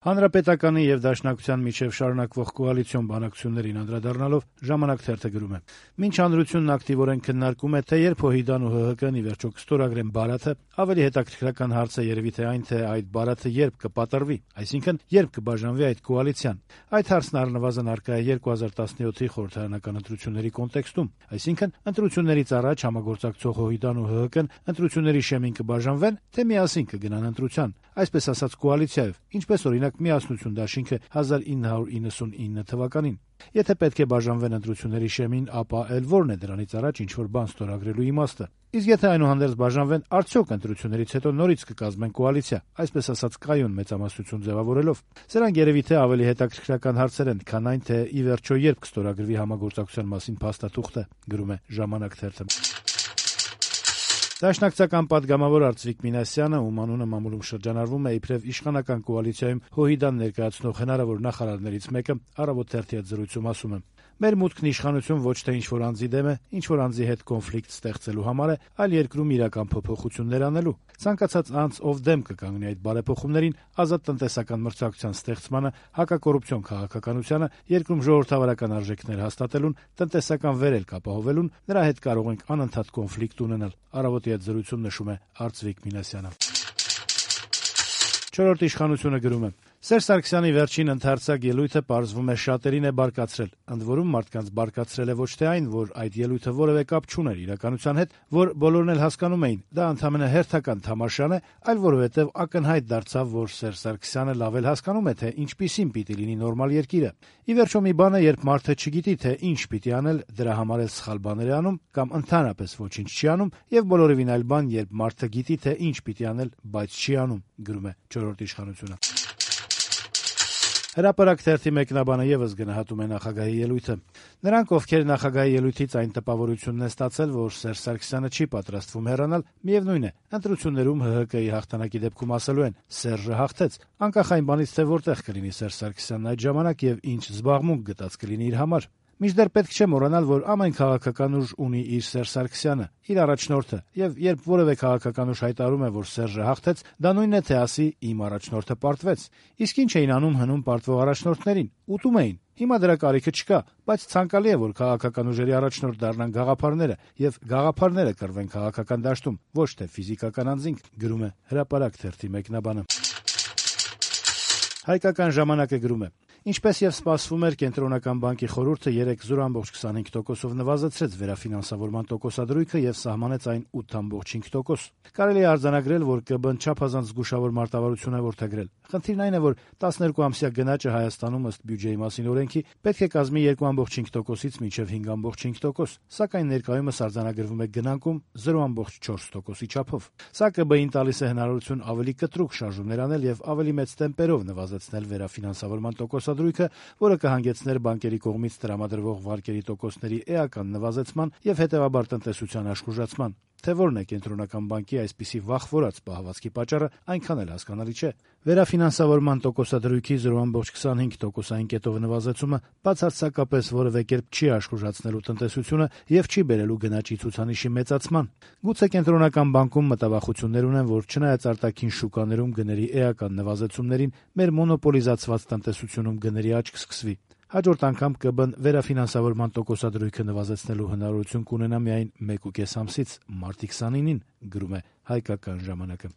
Հանրապետականի եւ Դաշնակցության միջեւ շարունակվող կոալիցիոն բանակցություններին անդրադառնալով «Ժամանակ» թերթը գրում է. «Մինչ հանրությունն ակտիվորեն քննարկում է, թե երբ ՀՅԴ-ն ու ՀՀԿ-ն ի վերջո կստորագրեն Բարաթը, ավելի հետաքրքրական հարց է երևի թե այն, թե այդ Բարաթը երբ կպատռվի, այսինքն երբ կբաժանվի այդ կոալիցիան։ Այդ հարցն առնվազն առկա է 2017-ի խորհրդարանական ընտրությունների կոնտեքստում, այսինքն ընտրություններից առաջ համագործակցող ՀՅԴ-ն ու ՀՀԿ-ն ընտրությունների շեմին կբաժանվեն, թե միասին կգնան ընտրության, այսպես ասած կոալիցիայով, ինչպես օրինակ Միասնություն դաշինքը 1999 թվականին։ Եթե պետք է բաժանվեն ընտրությունների շեմին, ապա էլ որն է դրանից առաջ ինչ-որ բան ստորագրելու իմաստը։ Իսկ եթե այնուհանդերձ բաժանվեն, արդյոք ընտրություններից հետո նորից կկազմեն կոալիցիա, այսպես ասած կայուն մեծամասնություն ձևավորելով։ Սրանք երևի թե ավելի հետաքրքրական հարցեր են, քան այն, թե ի վերջո երբ կստորագրվի համագործակցության մասին փաստաթուղթը», գրում է «Ժամանակ» թերթը։ Դաշնակցական պատգամավոր Արծվիկ Մինասյանը, ում անունը մամուլում շրջանառվում է իբրև իշխանական կոալիցիայում ՀՅԴ-ն ներկայացնող հնարավոր նախարարներից մեկը, «Առավոտ» թերթի հետ զրույցում ասում է. «Մեր մուտքն իշխանություն ոչ թե ինչ-որ անձի դեմ է, ինչ-որ անձի հետ կոնֆլիկտ ստեղծելու համար է, այլ երկրում իրական փոփոխություններ անելու։ Ցանկացած անձ, ով դեմ կկանգնի այդ բարեփոխումներին, ազատ տնտեսական մրցակցության ստեղծմանը, հակակոռուպցիոն քաղաքականությանը, երկրում ժողովրդավարական արժեքներ հաստատելուն, տնտեսական վերելք ապահովելուն, նրա հետ կարող ենք անընդհատ կոնֆլիկտ ունենալ», «Առավոտի» հետ զրույցում նշում է Արծվիկ Մինասյանը։ «Չորրորդ ինքնիշխանություն»-ը գրում է. «Սերժ Սարգսյանի վերջին ընդարձակ ելույթը պարզվում է շատերին է բարկացրել, ընդ որում մարդկանց բարկացրել է ոչ թե այն, որ այդ ելույթը որևէ կապ չուներ իրականության հետ, որ բոլորն էլ հասկանում էին, դա ընդամենը հերթական թամաշան է, այլ որովհետև ակնհայտ դարձավ, որ Սերժ Սարգսյանը լավ էլ հասկանում է, թե ինչպիսին պիտի լինի նորմալ երկիրը։ Ի վերջո մի բան է, երբ մարդը չգիտի, թե ինչ պիտի անել, դրա համար էլ սխալ բաներ է անում կամ ընդհանրապես ոչինչ չի անում, եւ բոլորովին այլ բան, երբ մարդը գիտի, թե ինչ պիտի անել, բայց չի անում», գրում է «Չորրորդ ինքնիշխանություն»-ը։ Հրապարակ թերթի մեկնաբանը եւս գնահատում է նախագահի ելույթը. «Նրանք, ովքեր նախագահի ելույթից այն տպավորությունն են ստացել, որ Սերժ Սարգսյանը չի պատրաստվում հեռանալ, միևնույն է, ընտրություններում ՀՀԿ-ի հաղթանակի դեպքում ասելու են՝ Սերժը հաղթեց, անկախ այն բանից, թե որտեղ կլինի Սերժ Սարգսյանն այդ ժամանակ եւ ինչ զբաղմունք գտած կլինի իր համար։ Մինչդեռ պետք չէ մոռանալ, որ ամեն քաղաքական ուժ ունի իր Սերժ Սարգսյանը, իր առաջնորդը, եւ երբ որևէ քաղաքական ուժ հայտարարում է, որ Սերժը հաղթեց, դա նույնն է, թե ասի՝ իմ առաջնորդը պարտվեց։ Իսկ ինչ էին անում հնում պարտվող առաջնորդներին։ Ուտում էին։ Հիմա դրա կարիքը չկա, բայց ցանկալի է, որ քաղաքական ուժերի առաջնորդ դառնան գաղափարները եւ գաղափարները կռվեն քաղաքական դաշտում, ոչ թե ֆիզիկական անձինք», գրում է Հրապարակ թերթի մեկնաբանը։ Հայկական ժամանակը գրում է. «Ինչպես եւ սպասվում էր, Կենտրոնական բանկի խորհուրդը 3,25%-ով նվազեցրեց վերաֆինանսավորման տոկոսադրույքը եւ սահմանեց այն 8,5%։ Կարելի է արձանագրել, որ ԿԲ-ն չափազանց զգուշավոր մարտավարություն է որդեգրել։ Խնդիրն այն է, որ 12-ամսյա գնաճը Հայաստանում ըստ բյուջեի մասին օրենքի պետք է կազմի 2,5%-ից մինչեւ 5,5%, սակայն ներկայումս արձանագրվում է գնանկում 0,4%-ի չափով։ Սա ԿԲ-ին տալիս է հնարավորություն ավելի կտրուկ շարժումներ անել եւ ավելի մեծ տեմպերով նվազեցնել վերաֆինանսավորման տոկոսադրույքը, որը կհանգեցներ բանկերի կողմից տրամադրվող վարկերի տոկոսների էական նվազեցման եւ հետեւաբար տնտեսության աշխուժացման։ Թե որն է Կենտրոնական բանկի այսպիսի վախվորած պահվածքի պատճառը, այնքան էլ հասկանալի չէ։ Վերաֆինանսավորման տոկոսադրույքի 0,25%-ային կետով նվազեցումը բացարձակապես որևէ կերպ չի աշխուժացնելու տնտեսությունը եւ չի բերելու գնաճի ցուցանիշի մեծացման։ Գուցե Կենտրոնական բանկում մտավախություններ ունեն, որ չնայած արտաքին շուկաներում գների էական նվազեցումներին, մեր մոնոպոլիզացված տնտեսությունում գների աճ կսկսվի։ Հաջորդ անգամ ԿԲ-ն վերաֆինանսավորման տոկոսադրույքը նվազեցնելու հնարավորություն կունենա միայն 1,5 ամսից, մարտի 29-ին, գրում է Հայկական ժամանակը։